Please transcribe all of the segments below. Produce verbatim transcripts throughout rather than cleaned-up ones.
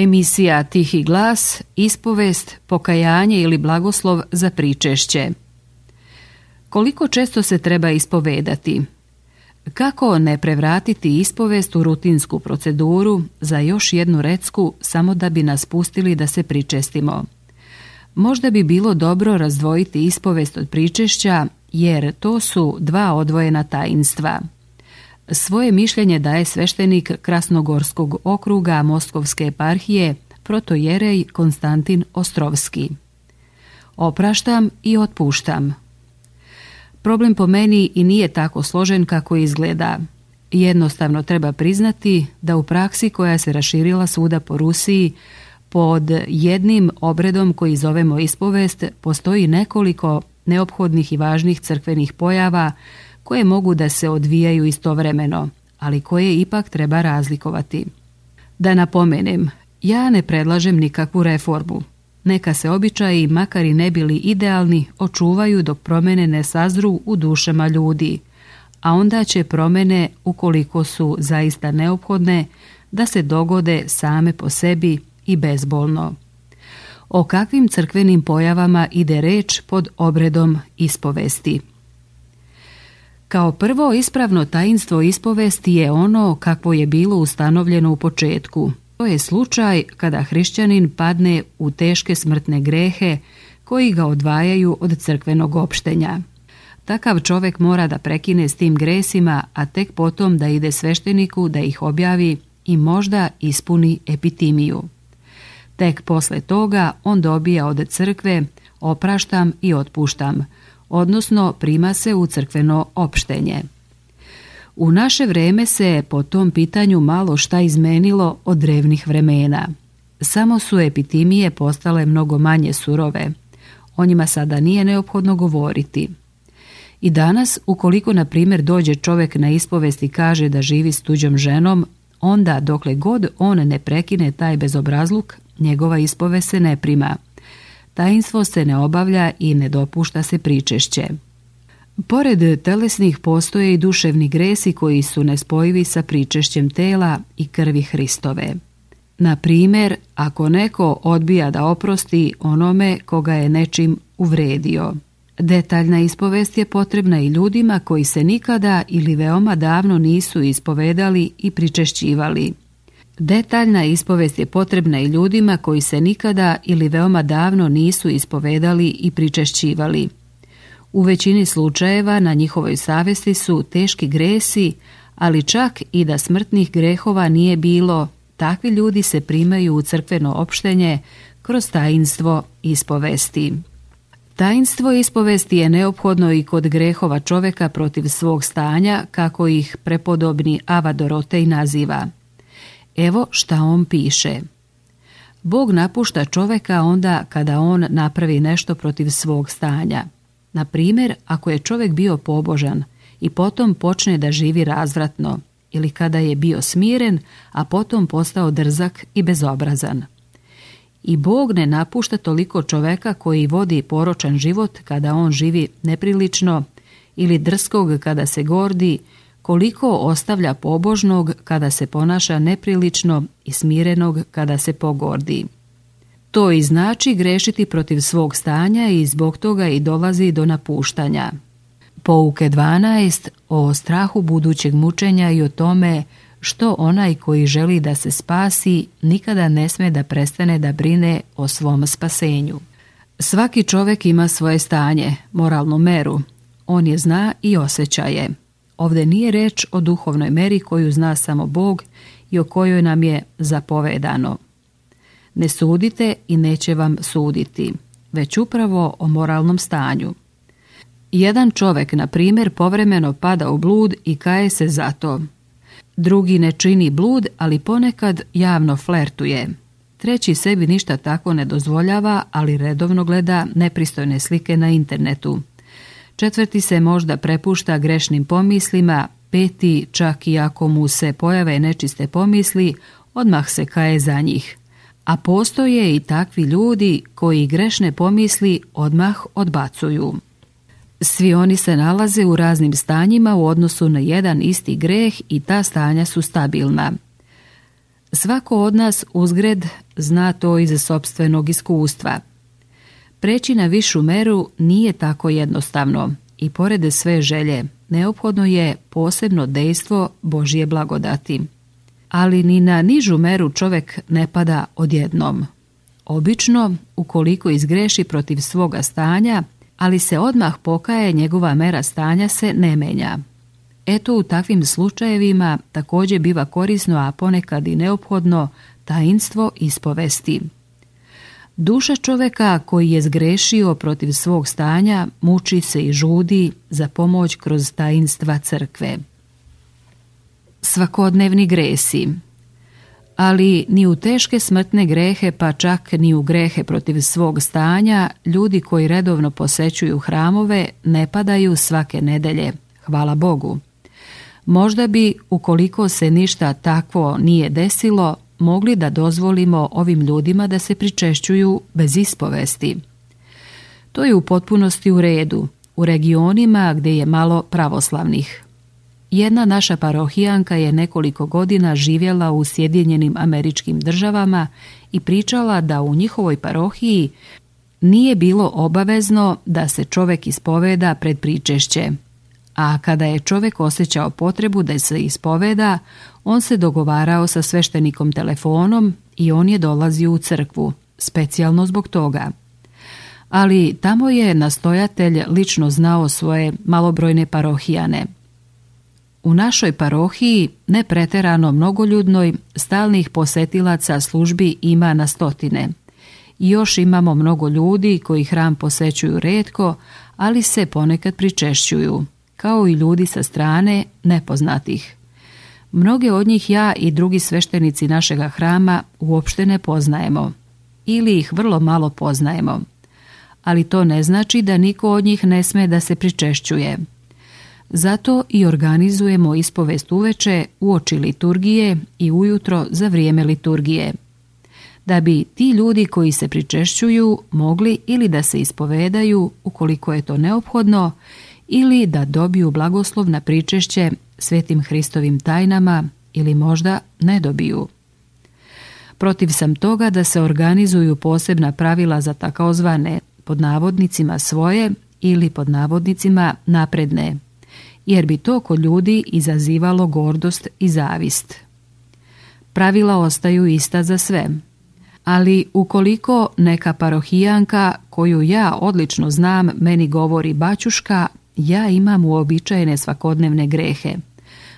Emisija Tihi glas, ispovest, pokajanje ili blagoslov za pričešće. Koliko često se treba ispovedati? Kako ne prevratiti ispovest u rutinsku proceduru za još jednu recku samo da bi nas pustili da se pričestimo? Možda bi bilo dobro razdvojiti ispovest od pričešća, jer to su dva odvojena tajinstva. Svoje mišljenje daje sveštenik Krasnogorskog okruga Moskovske eparhije, protojerej Konstantin Ostrovski. Opraštam i otpuštam. Problem po meni i nije tako složen kako izgleda. Jednostavno treba priznati da u praksi koja se raširila svuda po Rusiji, pod jednim obredom koji zovemo ispovest, postoji nekoliko neophodnih i važnih crkvenih pojava koje mogu da se odvijaju istovremeno, ali koje ipak treba razlikovati. Da napomenem, ja ne predlažem nikakvu reformu. Neka se običaji, makar i ne bili idealni, očuvaju dok promjene ne sazru u dušama ljudi, a onda će promjene, ukoliko su zaista neophodne, da se dogode same po sebi i bezbolno. O kakvim crkvenim pojavama ide reč pod obredom ispovesti? Kao prvo, ispravno tajinstvo ispovesti je ono kakvo je bilo ustanovljeno u početku. To je slučaj kada hrišćanin padne u teške smrtne grehe koji ga odvajaju od crkvenog opštenja. Takav čovjek mora da prekine s tim gresima, a tek potom da ide svešteniku da ih objavi i možda ispuni epitimiju. Tek posle toga on dobija od crkve opraštam i otpuštam, odnosno prima se u crkveno opštenje. U naše vreme se po tom pitanju malo šta izmenilo od drevnih vremena. Samo su epitimije postale mnogo manje surove. O njima sada nije neophodno govoriti. I danas, ukoliko na primjer dođe čovjek na ispovest i kaže da živi s tuđom ženom, onda dokle god on ne prekine taj bezobrazluk, njegova ispovest se ne prima. Tajinstvo se ne obavlja i ne dopušta se pričešće. Pored telesnih postoje i duševni gresi koji su nespojivi sa pričešćem tela i krvi Hristove. Na primjer, ako neko odbija da oprosti onome koga je nečim uvredio. Detaljna ispovest je potrebna i ljudima koji se nikada ili veoma davno nisu ispovedali i pričešćivali. Detaljna ispovest je potrebna i ljudima koji se nikada ili veoma davno nisu ispovedali i pričešćivali. U većini slučajeva na njihovoj savjesti su teški gresi, ali čak i da smrtnih grehova nije bilo, takvi ljudi se primaju u crkveno opštenje kroz tajinstvo ispovesti. Tajinstvo ispovesti je neophodno i kod grehova čovjeka protiv svog stanja, kako ih prepodobni Ava Dorotej naziva. Evo šta on piše. Bog napušta čovjeka onda kada on napravi nešto protiv svog stanja. Na primjer, ako je čovjek bio pobožan i potom počne da živi razvratno, ili kada je bio smiren, a potom postao drzak i bezobrazan. I Bog ne napušta toliko čovjeka koji vodi poročan život kada on živi neprilično, ili drskog kada se gordi, koliko ostavlja pobožnog kada se ponaša neprilično i smirenog kada se pogordi. To i znači grešiti protiv svog stanja i zbog toga i dolazi do napuštanja. Pouke dvanaest o strahu budućeg mučenja i o tome što onaj koji želi da se spasi nikada ne sme da prestane da brine o svom spasenju. Svaki čovjek ima svoje stanje, moralnu meru. On je zna i osjeća je. Ovdje nije reč o duhovnoj meri koju zna samo Bog i o kojoj nam je zapovedano. Ne sudite i neće vam suditi, već upravo o moralnom stanju. Jedan čovjek, na primjer, povremeno pada u blud i kaje se za to. Drugi ne čini blud, ali ponekad javno flertuje. Treći sebi ništa tako ne dozvoljava, ali redovno gleda nepristojne slike na internetu. Četvrti se možda prepušta grešnim pomislima, peti, čak i ako mu se pojave nečiste pomisli, odmah se kaje za njih. A postoje i takvi ljudi koji grešne pomisli odmah odbacuju. Svi oni se nalaze u raznim stanjima u odnosu na jedan isti greh i ta stanja su stabilna. Svako od nas uzgred zna to iz sopstvenog iskustva. Preći na višu meru nije tako jednostavno i pored sve želje neophodno je posebno dejstvo Božje blagodati. Ali ni na nižu meru čovjek ne pada odjednom. Obično, ukoliko izgreši protiv svoga stanja, ali se odmah pokaje, njegova mera stanja se ne menja. Eto, u takvim slučajevima također biva korisno, a ponekad i neophodno, tajinstvo ispovesti. Duša čovjeka koji je zgrešio protiv svog stanja muči se i žudi za pomoć kroz tajinstva crkve. Svakodnevni gresi. Ali ni u teške smrtne grehe, pa čak ni u grehe protiv svog stanja, ljudi koji redovno posećuju hramove ne padaju svake nedelje, hvala Bogu. Možda bi, ukoliko se ništa takvo nije desilo, mogli da dozvolimo ovim ljudima da se pričešćuju bez ispovesti. To je u potpunosti u redu, u regionima gdje je malo pravoslavnih. Jedna naša parohijanka je nekoliko godina živjela u Sjedinjenim Američkim Državama i pričala da u njihovoj parohiji nije bilo obavezno da se čovjek ispoveda pred pričešće, a kada je čovjek osjećao potrebu da se ispoveda, on se dogovarao sa sveštenikom telefonom i on je dolazio u crkvu, specijalno zbog toga. Ali tamo je nastojatelj lično znao svoje malobrojne parohijane. U našoj parohiji, ne preterano mnogoljudnoj, stalnih posetilaca službi ima na stotine. I još imamo mnogo ljudi koji hram posećuju retko, ali se ponekad pričešćuju, kao i ljudi sa strane nepoznatih. Mnoge od njih ja i drugi sveštenici našega hrama uopšte ne poznajemo, ili ih vrlo malo poznajemo. Ali to ne znači da niko od njih ne sme da se pričešćuje. Zato i organizujemo ispovest uveče uoči liturgije i ujutro za vrijeme liturgije. Da bi ti ljudi koji se pričešćuju mogli ili da se ispovedaju ukoliko je to neophodno, ili da dobiju blagoslov na pričešće svetim Hristovim tajnama ili možda ne dobiju. Protiv sam toga da se organizuju posebna pravila za takozvane pod navodnicima svoje ili pod navodnicima napredne, jer bi to kod ljudi izazivalo gordost i zavist. Pravila ostaju ista za sve, ali ukoliko neka parohijanka koju ja odlično znam meni govori baćuška, ja imam uobičajene svakodnevne grehe.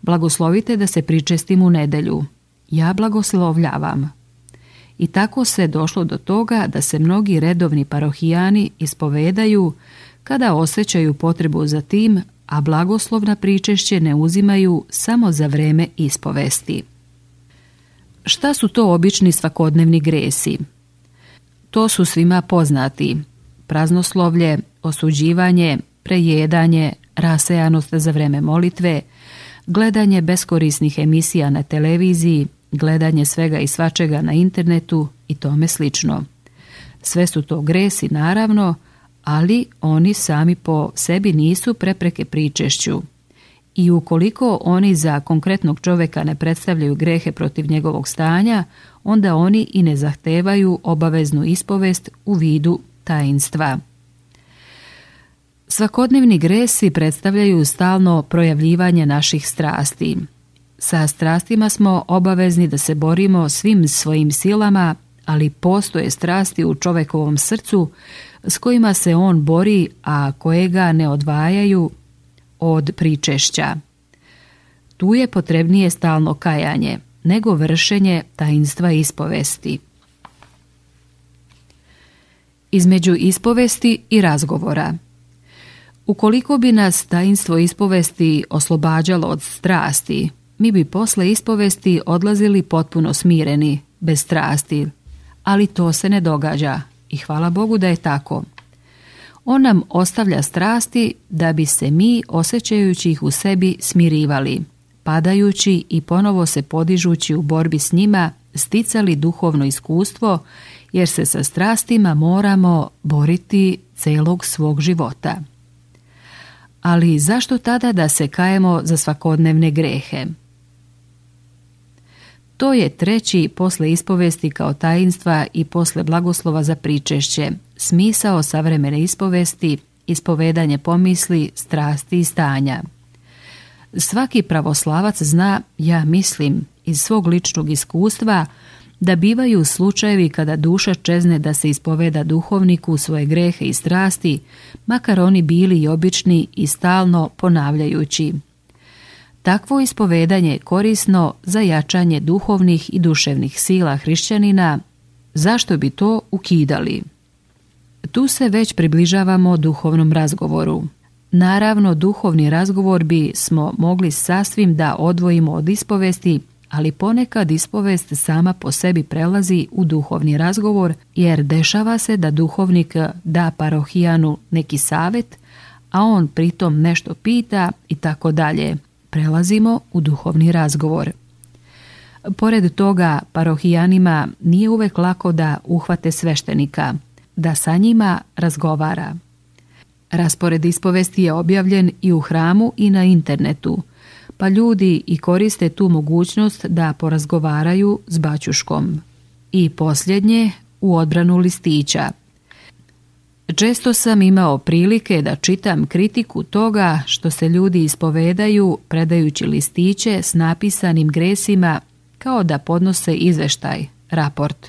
Blagoslovite da se pričestim u nedjelju. Ja blagoslovljavam. I tako se došlo do toga da se mnogi redovni parohijani ispovedaju kada osjećaju potrebu za tim, a blagoslov na pričešće ne uzimaju samo za vreme ispovesti. Šta su to obični svakodnevni gresi? To su svima poznati: praznoslovlje, osuđivanje, prejedanje, rasejanost za vreme molitve, gledanje beskorisnih emisija na televiziji, gledanje svega i svačega na internetu i tome slično. Sve su to gresi, naravno, ali oni sami po sebi nisu prepreke pričešću. I ukoliko oni za konkretnog čovjeka ne predstavljaju grehe protiv njegovog stanja, onda oni i ne zahtevaju obaveznu ispovest u vidu tajinstva. Svakodnevni gresi predstavljaju stalno projavljivanje naših strasti. Sa strastima smo obavezni da se borimo svim svojim silama, ali postoje strasti u čovjekovom srcu s kojima se on bori, a koje ga ne odvajaju od pričešća. Tu je potrebnije stalno kajanje, nego vršenje tajinstva ispovesti. Između ispovesti i razgovora. Ukoliko bi nas tajinstvo ispovesti oslobađalo od strasti, mi bi posle ispovesti odlazili potpuno smireni, bez strasti, ali to se ne događa i hvala Bogu da je tako. On nam ostavlja strasti da bi se mi, osjećajući ih u sebi, smirivali, padajući i ponovo se podižući u borbi s njima, sticali duhovno iskustvo, jer se sa strastima moramo boriti celog svog života. Ali zašto tada da se kajemo za svakodnevne grehe? To je treći posle ispovesti kao tajinstva i posle blagoslova za pričešće, smisao savremene ispovesti, ispovedanje pomisli, strasti i stanja. Svaki pravoslavac zna, ja mislim, iz svog ličnog iskustva, da bivaju slučajevi kada duša čezne da se ispoveda duhovniku svoje grehe i strasti, makar oni bili i obični i stalno ponavljajući. Takvo ispovedanje je korisno za jačanje duhovnih i duševnih sila hrišćanina. Zašto bi to ukidali? Tu se već približavamo duhovnom razgovoru. Naravno, duhovni razgovor bi smo mogli sasvim da odvojimo od ispovesti, ali ponekad ispovest sama po sebi prelazi u duhovni razgovor, jer dešava se da duhovnik da parohijanu neki savjet, a on pritom nešto pita i tako dalje. Prelazimo u duhovni razgovor. Pored toga, parohijanima nije uvek lako da uhvate sveštenika, da sa njima razgovara. Raspored ispovesti je objavljen i u hramu i na internetu, pa ljudi i koriste tu mogućnost da porazgovaraju s baćuškom. I posljednje, u odbranu listića. Često sam imao prilike da čitam kritiku toga što se ljudi ispovedaju predajući listiće s napisanim gresima kao da podnose izveštaj, raport.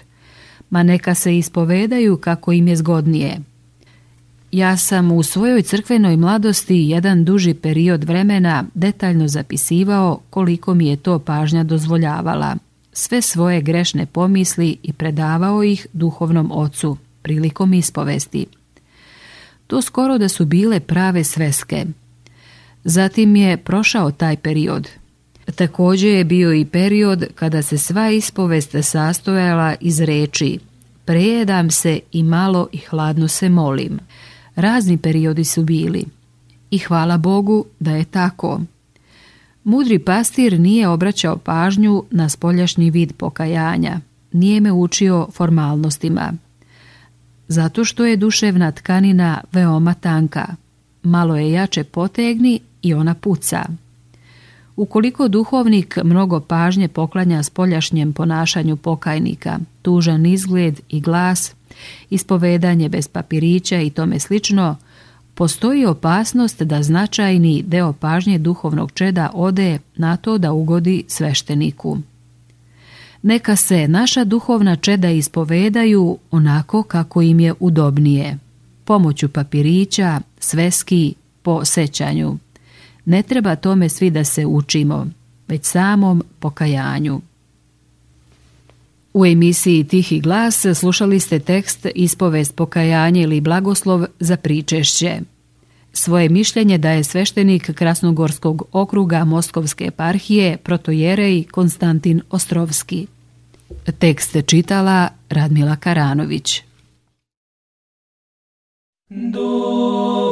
Ma neka se ispovedaju kako im je zgodnije. Ja sam u svojoj crkvenoj mladosti jedan duži period vremena detaljno zapisivao koliko mi je to pažnja dozvoljavala, sve svoje grešne pomisli i predavao ih duhovnom ocu prilikom ispovesti. To skoro da su bile prave sveske. Zatim je prošao taj period. Također je bio i period kada se sva ispovest sastojala iz reči prejedam se i malo i hladno se molim. Razni periodi su bili. I hvala Bogu da je tako. Mudri pastir nije obraćao pažnju na spoljašnji vid pokajanja. Nije me učio formalnostima. Zato što je duševna tkanina veoma tanka. Malo je jače potegni i ona puca. Ukoliko duhovnik mnogo pažnje poklanja spoljašnjem ponašanju pokajnika, tužan izgled i glas, ispovedanje bez papirića i tome slično, postoji opasnost da značajni deo pažnje duhovnog čeda ode na to da ugodi svešteniku. Neka se naša duhovna čeda ispovedaju onako kako im je udobnije, pomoću papirića, sveski, po sećanju. Ne treba tome svi da se učimo, već samom pokajanju. U emisiji Tihi glas slušali ste tekst Ispovest, pokajanje ili blagoslov za pričešće. Svoje mišljenje daje sveštenik Krasnogorskog okruga Moskovske eparhije protojerej Konstantin Ostrovski. Tekst čitala Radmila Karanović. Do